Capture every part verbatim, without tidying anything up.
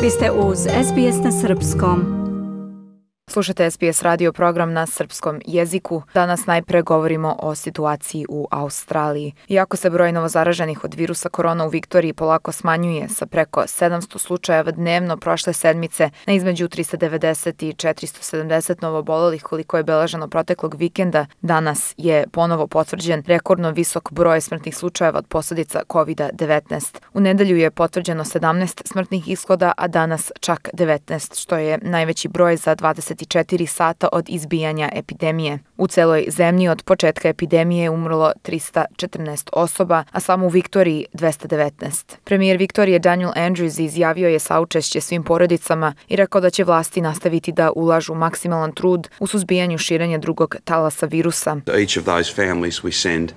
Vi ste uz S B S na srpskom. Slušate S B S radio program na srpskom jeziku. Danas najpre govorimo o situaciji u Australiji. Iako se broj novozaraženih od virusa korona u Viktoriji polako smanjuje sa preko sedamsto slučajeva dnevno prošle sedmice na između trista devedeset i četiristo sedamdeset novoobolelih koliko je beleženo proteklog vikenda, danas je ponovo potvrđen rekordno visok broj smrtnih slučajeva od posledica kovid devetnaest. U nedelju je potvrđeno sedamnaest smrtnih ishoda, a danas čak devetnaest, što je najveći broj za dvadeset četiri sata od izbijanja epidemije. U celoj zemlji od početka epidemije je umrlo trista četrnaest osoba, a samo u Viktoriji dvesta devetnaest. Premijer Viktorije Daniel Andrews izjavio je saučešće svim porodicama i rekao da će vlasti nastaviti da ulažu maksimalan trud u suzbijanju širenja drugog talasa virusa. Each of those families we send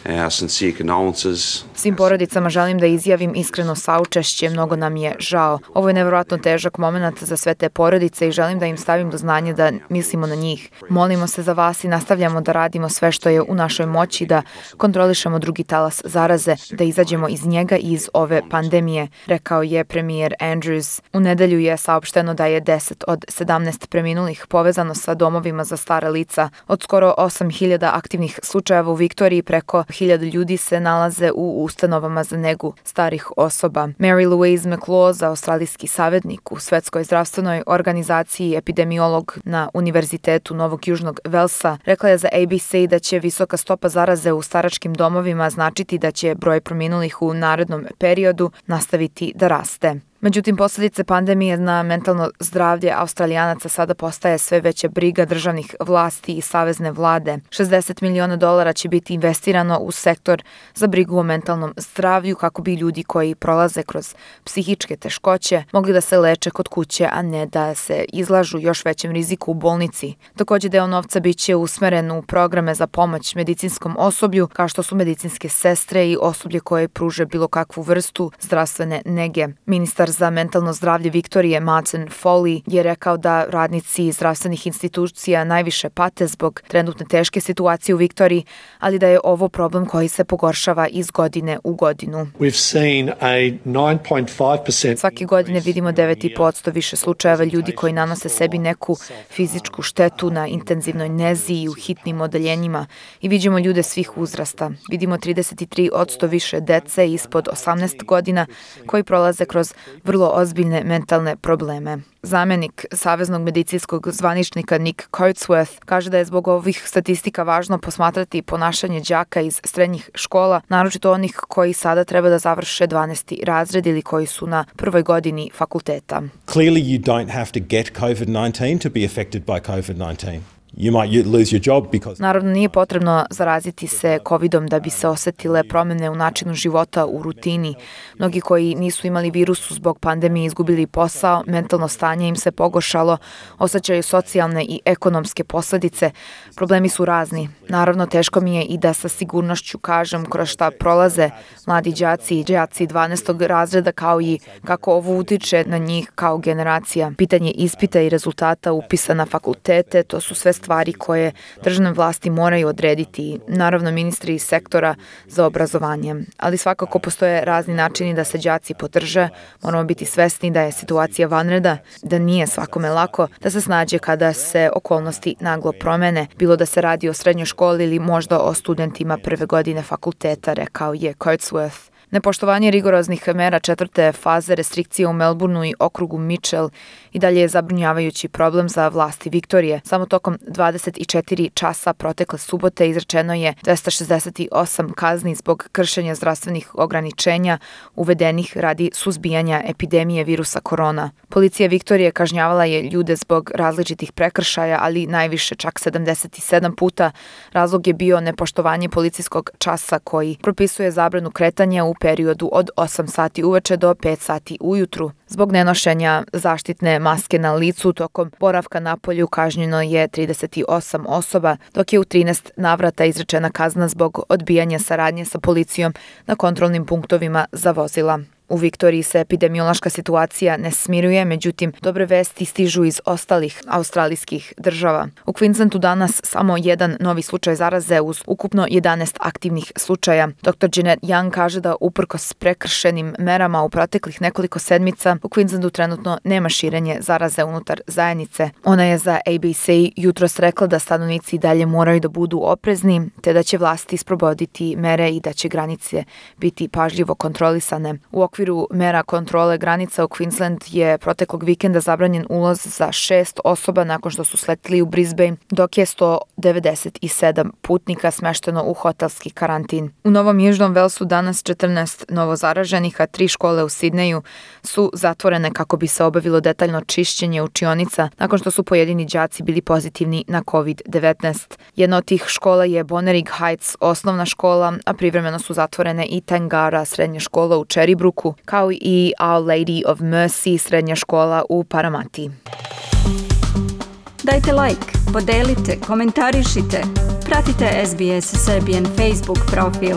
our sincere condolences. Svim porodicama želim da izjavim iskreno saučešće, mnogo nam je žao. Ovo je nevjerojatno težak moment za sve te porodice i želim da im stavim do znanja da mislimo na njih. Molimo se za vas i nastavljamo da radimo sve što je u našoj moći da kontrolišemo drugi talas zaraze, da izađemo iz njega i iz ove pandemije, rekao je premijer Andrews. U nedelju je saopšteno da je deset od sedamnaest preminulih povezano sa domovima za stara lica. Od skoro osam hiljada aktivnih slučajeva u Viktoriji preko hiljadu ljudi se nalaze u ustanovama za negu starih osoba. Mary Louise McLaws, australijski savjetnik u Svetskoj zdravstvenoj organizaciji i epidemiolog na Univerzitetu Novog Južnog Velsa, rekla je za A B C da će visoka stopa zaraze u staračkim domovima značiti da će broj preminulih u narednom periodu nastaviti da raste. Međutim, posljedice pandemije na mentalno zdravlje Australijanaca sada postaje sve veća briga državnih vlasti i savezne vlade. šezdeset miliona dolara će biti investirano u sektor za brigu o mentalnom zdravlju kako bi ljudi koji prolaze kroz psihičke teškoće mogli da se leče kod kuće, a ne da se izlažu još većem riziku u bolnici. Također deo novca biće usmeren u programe za pomoć medicinskom osoblju, kao što su medicinske sestre i osoblje koje pruže bilo kakvu vrstu zdravstvene nege. Ministar za mentalno zdravlje Viktorije Martin Foley je rekao da radnici zdravstvenih institucija najviše pate zbog trenutne teške situacije u Viktoriji, ali da je ovo problem koji se pogoršava iz godine u godinu. Svake godine vidimo devet zarez pet posto više slučajeva ljudi koji nanose sebi neku fizičku štetu na intenzivnoj nezi i u hitnim odeljenjima i vidimo ljude svih uzrasta. Vidimo trideset tri posto više dece ispod osamnaest godina koji prolaze kroz vrlo ozbiljne mentalne probleme. Zamenik Saveznog medicinskog zvaničnika Nick Coatsworth kaže da je zbog ovih statistika važno posmatrati ponašanje đaka iz srednjih škola, naročito onih koji sada treba da završe dvanaesti razred ili koji su na prvoj godini fakulteta. Clearly you don't have to get COVID nineteen to be affected by COVID nineteen. You might lose your job because... Naravno, nije potrebno zaraziti se covidom da bi se osetile promjene u načinu života u rutini. Mnogi koji nisu imali virusu zbog pandemije izgubili posao, mentalno stanje im se pogoršalo, osjećaju socijalne i ekonomske posljedice. Problemi su razni. Naravno, teško mi je i da sa sigurnošću kažem kroz šta prolaze mladi đaci i đaci dvanaestog razreda kao i kako ovo utiče na njih kao generacija. Pitanje ispita i rezultata upisa na fakultete, to su sve stvari koje državne vlasti moraju odrediti, naravno ministri iz sektora za obrazovanje. Ali svakako postoje razni načini da se đaci podrže, moramo biti svesni da je situacija vanredna, da nije svakome lako da se snađe kada se okolnosti naglo promene, bilo da se radi o srednjoj školi ili možda o studentima prve godine fakulteta, rekao je Coatsworth. Nepoštovanje rigoroznih mera četvrte faze restrikcije u Melbourneu i okrugu Mitchell i dalje je zabrinjavajući problem za vlasti Viktorije. Samo tokom dvadeset četiri časa protekle subote izrečeno je dvesta šezdeset osam kazni zbog kršenja zdravstvenih ograničenja uvedenih radi suzbijanja epidemije virusa korona. Policija Viktorije kažnjavala je ljude zbog različitih prekršaja, ali najviše čak sedamdeset sedam puta. Razlog je bio nepoštovanje policijskog časa koji propisuje zabranu kretanja u periodu od osam sati uveče do pet sati ujutru. Zbog nenošenja zaštitne maske na licu tokom boravka na polju kažnjeno je trideset osam osoba, dok je u trinaest navrata izrečena kazna zbog odbijanja saradnje sa policijom na kontrolnim punktovima za vozila. U Viktoriji se epidemiološka situacija ne smiruje, međutim, dobre vesti stižu iz ostalih australijskih država. U Queenslandu danas samo jedan novi slučaj zaraze uz ukupno jedanaest aktivnih slučaja. doktor Jeanette Young kaže da uprkos prekršenim merama u proteklih nekoliko sedmica u Queenslandu trenutno nema širenje zaraze unutar zajednice. Ona je za A B C jutros rekla da stanovnici dalje moraju da budu oprezni, te da će vlasti sprovoditi mere i da će granice biti pažljivo kontrolisane. U okviru mera kontrole granica u Queensland je proteklog vikenda zabranjen ulaz za šest osoba nakon što su sletili u Brisbane, dok je sto devedeset sedam putnika smešteno u hotelski karantin. U Novom Južnom Velsu danas četrnaest novozaraženih, a tri škole u Sidneju su zatvorene kako bi se obavilo detaljno čišćenje učionica nakon što su pojedini đaci bili pozitivni na covid devetnaest. Jedna od tih škola je Bonnering Heights osnovna škola, a privremeno su zatvorene i Tangara srednja škola u Cherrybrooku, kao i Our Lady of Mercy srednja škola u Parramatta. Dajte like, podelite, komentarišite, pratite S B S Serbian Facebook profil.